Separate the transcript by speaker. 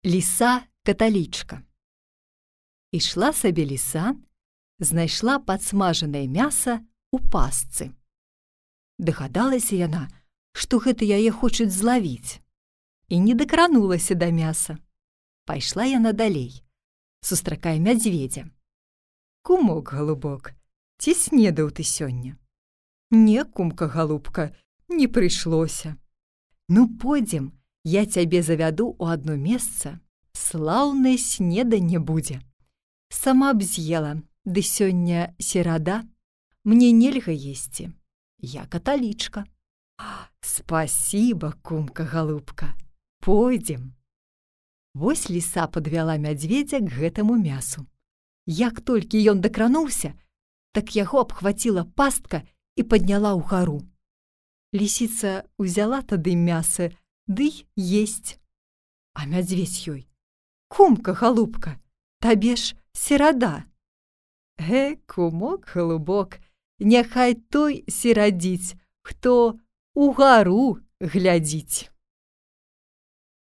Speaker 1: Ліса-каталічка. Ішла сабе ліса, знайшла падсмажанае мяса ў пастцы. Дагадалася яна, што гэта яе хочуць злавіць, і не дакранулася да мяса. Пайшла яна далей, сустракае мядзведзя. «Кумок, галубок, ці снедаў ты сёння?» «Не, кумка, галубка, не прыйшлося». «Ну, пойдзем, я цябе завяду ў адно месца, слаўнае снеданне будзе. Сама б з'ела, ды сёння серада, мне нельга есці, я каталічка». «Спасіба, кумка, галубка, пойдзем». Вось ліса падвяла мядзведзя к гэтаму мясу. Як толькі ён дакрануўся, так яго абхваціла пастка і падняла ўгару. Лісіца ўзяла тады мяса, ды есць. А мядзведзь ёй: «Кумка, галубка, табе ж серада». «Кумок, галубок, няхай той серадзіць, хто угару глядзіць».